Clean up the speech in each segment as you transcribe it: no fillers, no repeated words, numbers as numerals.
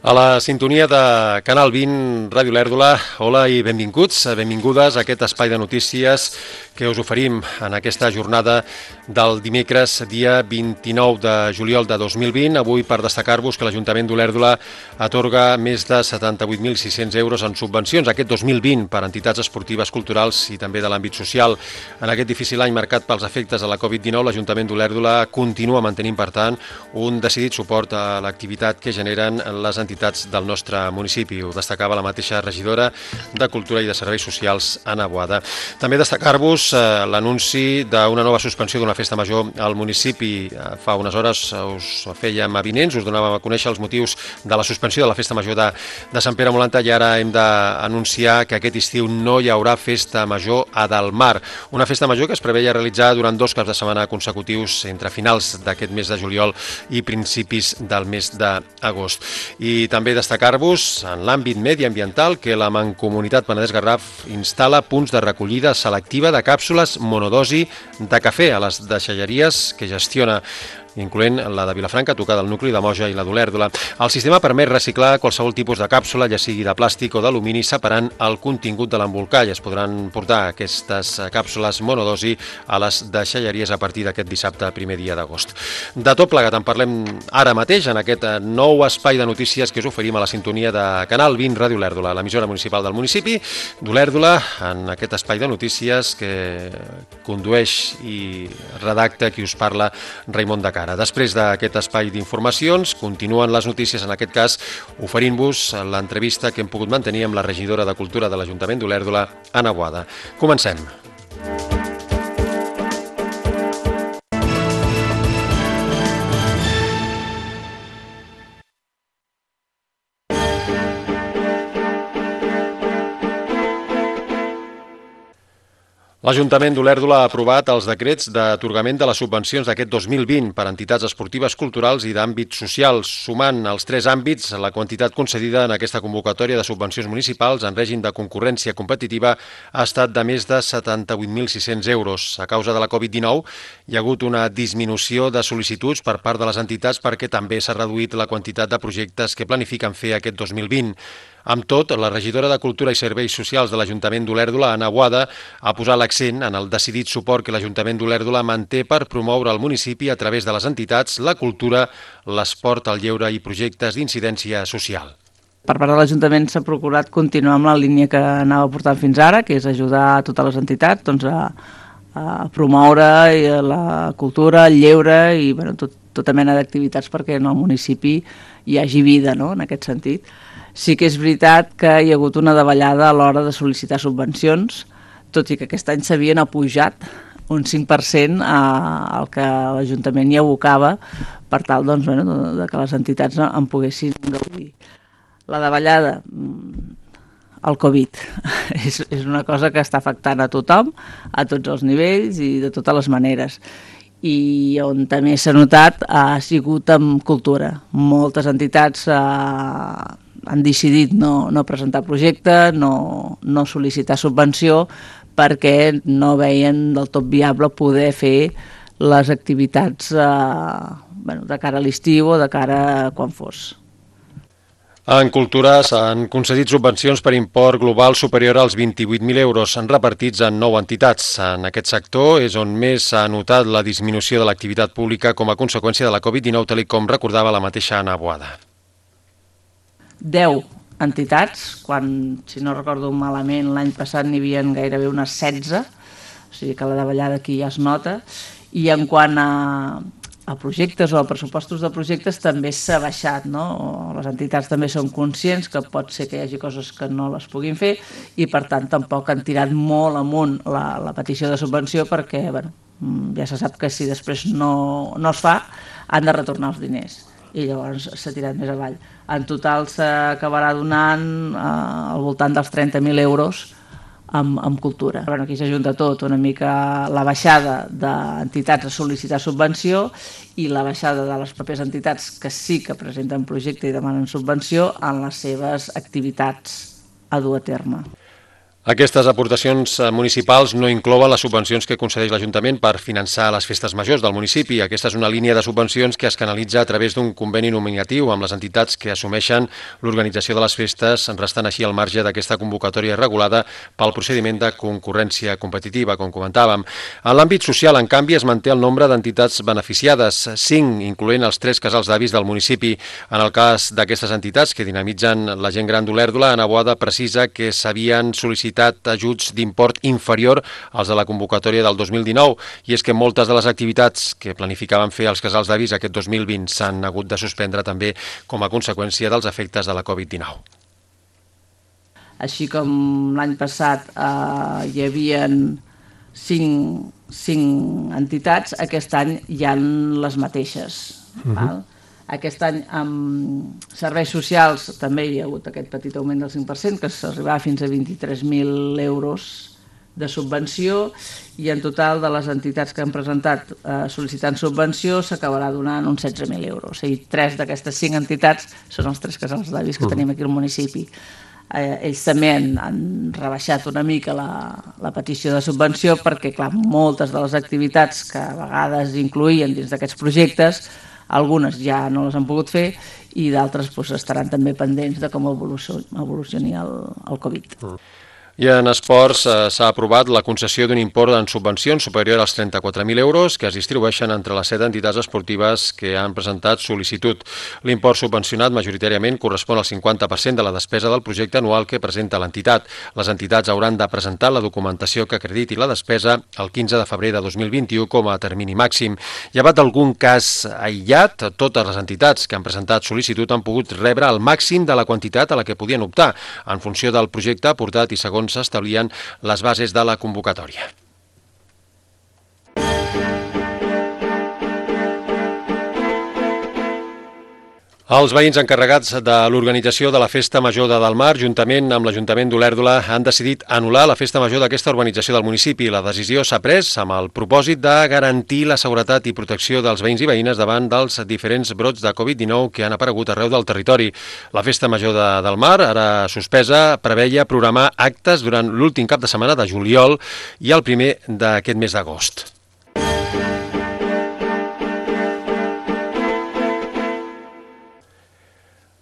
A la sintonia de Canal 20, Ràdio Lèrdula, hola i benvinguts, benvingudes a aquest espai de notícies que us oferim en aquesta jornada del dimecres, dia 29 de juliol de 2020. Avui per destacar-vos que l'Ajuntament d'Olèrdola atorga més de 78.600 euros en subvencions aquest 2020 per entitats esportives, culturals i també de l'àmbit social. En aquest difícil any marcat pels efectes de la Covid-19, l'Ajuntament d'Olèrdola continua mantenint, per tant, un decidit suport a l'activitat que generen les entitats del nostre municipi. Ho destacava la mateixa regidora de Cultura i de Serveis Socials, Anna Boada. També destacar-vos l'anunci d'una nova suspensió d'una festa major al municipi. Fa unes hores us fèiem avinents, us donàvem a conèixer els motius de la suspensió de la festa major de Sant Pere Molanta i ara hem d'anunciar que aquest estiu no hi haurà festa major a Delmar. Una festa major que es preveia realitzar durant 2 caps de setmana consecutius entre finals d'aquest mes de juliol i principis del mes d'agost. I també destacar-vos en l'àmbit mediambiental que la Mancomunitat Penedès-Garraf instal·la punts de recollida selectiva de càpsules monodosi de cafè a les deixalleries que gestiona, incloent la de Vilafranca, a tocar del nucli de Moja i la d'Olèrdola. El sistema permet reciclar qualsevol tipus de càpsula, ja sigui de plàstic o d'alumini, separant el contingut de l'embolcall. Es podran portar aquestes càpsules monodosi a les deixalleries a partir d'aquest dissabte, primer dia d'agost. De tot plegat en parlem ara mateix en aquest nou espai de notícies que us oferim a la sintonia de Canal 20 Ràdio Olèrdola, l'emissora municipal del municipi d'Olèrdola, en aquest espai de notícies que condueix i redacta qui us parla, Raimon de Cara. Després d'aquest espai d'informacions, continuen les notícies, en aquest cas oferint-vos l'entrevista que hem pogut mantenir amb la regidora de Cultura de l'Ajuntament d'Olèrdola, Anna Boada. Comencem. L'Ajuntament d'Olèrdola ha aprovat els decrets d'atorgament de les subvencions d'aquest 2020 per entitats esportives, culturals i d'àmbit social, sumant als 3 àmbits la quantitat concedida en aquesta convocatòria de subvencions municipals en règim de concurrència competitiva ha estat de més de 78.600 euros. A causa de la Covid-19 hi ha hagut una disminució de sol·licituds per part de les entitats perquè també s'ha reduït la quantitat de projectes que planifiquen fer aquest 2020. Amb tot, la regidora de Cultura i Serveis Socials de l'Ajuntament d'Olèrdola, Anna Boada, ha posat l'accent en el decidit suport que l'Ajuntament d'Olèrdola manté per promoure el municipi a través de les entitats, la cultura, l'esport, el lleure i projectes d'incidència social. Per part de l'Ajuntament s'ha procurat continuar amb la línia que anava portant fins ara, que és ajudar a totes les entitats a promoure la cultura, el lleure i tota mena d'activitats perquè en el municipi hi hagi vida, no?, en aquest sentit. Sí que és veritat que hi ha hagut una davallada a l'hora de sol·licitar subvencions, tot i que aquest any s'havien apujat un 5% al que l'Ajuntament hi abocava per tal de que les entitats en poguessin gaudir. La davallada, el Covid, és una cosa que està afectant a tothom, a tots els nivells i de totes les maneres. I on també s'ha notat ha sigut amb cultura. Moltes entitats han decidit no presentar projecte, no sol·licitar subvenció perquè no veien del tot viable poder fer les activitats de cara a l'estiu o de cara a quan fos. En cultura s'han concedit subvencions per import global superior als 28.000 euros repartits en 9 entitats. En aquest sector és on més s'ha notat la disminució de l'activitat pública com a conseqüència de la Covid-19, tal com recordava la mateixa Anna Boada. 10 entitats, quan, si no recordo malament, l'any passat n'hi havia gairebé unes 16, o sigui que la davallada aquí ja es nota, i en quant a projectes o a pressupostos de projectes també s'ha baixat, no? Les entitats també són conscients que pot ser que hi hagi coses que no les puguin fer i per tant tampoc han tirat molt amunt la petició de subvenció perquè ja se sap que si després no es fa han de retornar els diners i llavors s'ha tirat més avall. En total s'acabarà donant al voltant dels 30.000 euros amb cultura. Aquí s'ajunta tot, una mica la baixada d'entitats a sol·licitar subvenció i la baixada de les pròpies entitats que sí que presenten projecte i demanen subvenció en les seves activitats a dur a terme. Aquestes aportacions municipals no inclouen les subvencions que concedeix l'Ajuntament per finançar les festes majors del municipi. Aquesta és una línia de subvencions que es canalitza a través d'un conveni nominatiu amb les entitats que assumeixen l'organització de les festes, restant així al marge d'aquesta convocatòria regulada pel procediment de concurrència competitiva, com comentàvem. En l'àmbit social, en canvi, es manté el nombre d'entitats beneficiades, 5, incloent els 3 casals d'avis del municipi. En el cas d'aquestes entitats que dinamitzen la gent gran d'Olèrdola, Ana Boada precisa que s'havien sol·licitat ajuts d'import inferior als de la convocatòria del 2019, i és que moltes de les activitats que planificaven fer els casals d'avis aquest 2020 s'han hagut de suspendre també com a conseqüència dels efectes de la Covid-19. Així com l'any passat hi havia 5 entitats, aquest any hi ha les mateixes. Val? Aquest any amb serveis socials també hi ha hagut aquest petit augment del 5%, que s'arribava fins a 23.000 euros de subvenció, i en total de les entitats que han presentat sol·licitant subvenció s'acabarà donant uns 16.000 euros. O sigui, 3 d'aquestes 5 entitats són els 3 casals d'avis que tenim aquí al municipi. Ells també han rebaixat una mica la petició de subvenció perquè, clar, moltes de les activitats que a vegades incloïen dins d'aquests projectes, algunes ja no les han pogut fer i d'altres estaran també pendents de com evolucioni el Covid. I en esports s'ha aprovat la concessió d'un import en subvencions superior als 34.000 euros que es distribueixen entre les 7 entitats esportives que han presentat sol·licitud. L'import subvencionat majoritàriament correspon al 50% de la despesa del projecte anual que presenta l'entitat. Les entitats hauran de presentar la documentació que acrediti la despesa el 15 de febrer de 2021 com a termini màxim. Llevat d'algun cas aïllat, totes les entitats que han presentat sol·licitud han pogut rebre el màxim de la quantitat a la que podien optar, en funció del projecte aportat i segons s'establien les bases de la convocatòria. Els veïns encarregats de l'organització de la Festa Major de Delmar, juntament amb l'Ajuntament d'Olèrdola, han decidit anul·lar la Festa Major d'aquesta urbanització del municipi. La decisió s'ha pres amb el propòsit de garantir la seguretat i protecció dels veïns i veïnes davant dels diferents brots de Covid-19 que han aparegut arreu del territori. La Festa Major de Delmar, ara suspesa, preveia programar actes durant l'últim cap de setmana de juliol i el primer d'aquest mes d'agost.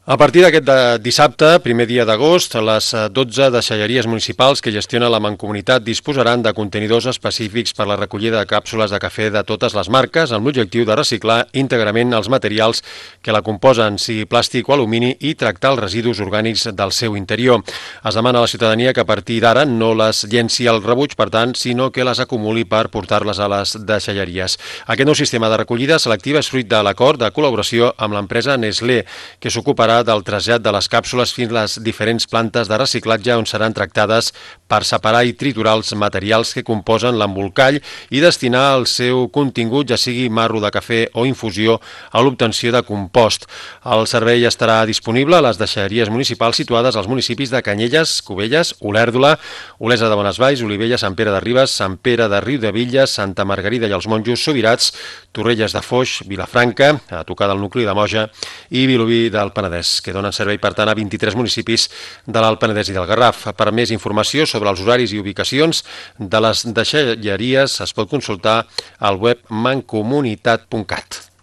A partir d'aquest dissabte, primer dia d'agost, les 12 deixalleries municipals que gestiona la Mancomunitat disposaran de contenidors específics per la recollida de càpsules de cafè de totes les marques amb l'objectiu de reciclar íntegrament els materials que la composen, sigui plàstic o alumini, i tractar els residus orgànics del seu interior. Es demana a la ciutadania que a partir d'ara no les llenci al rebuig, per tant, sinó que les acumuli per portar-les a les deixalleries. Aquest nou sistema de recollida selectiva és fruit de l'acord de col·laboració amb l'empresa Nestlé, que s'ocuparà del trasllat de les càpsules fins a les diferents plantes de reciclatge on seran tractades per separar i triturar els materials que composen l'embolcall i destinar el seu contingut, ja sigui marro de cafè o infusió, a l'obtenció de compost. El servei estarà disponible a les deixalleries municipals situades als municipis de Canyelles, Cubelles, Olèrdola, Olesa de Bonesvalls, Olivella, Sant Pere de Ribes, Sant Pere de Riudebitlles, Santa Margarida i els Monjos, Subirats, Torrelles de Foix, Vilafranca, a tocar del nucli de Moja, i Vilobí del Penedès, que donen servei, per tant, a 23 municipis de l'Alt Penedès i del Garraf. Per més informació sobre els horaris i ubicacions de les deixalleries es pot consultar al web mancomunitat.cat.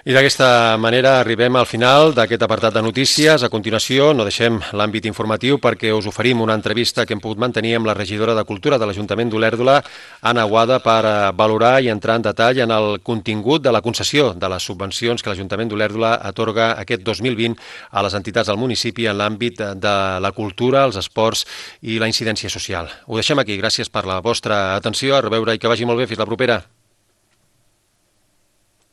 I d'aquesta manera arribem al final d'aquest apartat de notícies. A continuació, no deixem l'àmbit informatiu perquè us oferim una entrevista que hem pogut mantenir amb la regidora de Cultura de l'Ajuntament d'Olèrdola, Ana Boada, per valorar i entrar en detall en el contingut de la concessió de les subvencions que l'Ajuntament d'Olèrdola atorga aquest 2020 a les entitats del municipi en l'àmbit de la cultura, els esports i la incidència social. Ho deixem aquí. Gràcies per la vostra atenció. A reveure i que vagi molt bé. Fins la propera.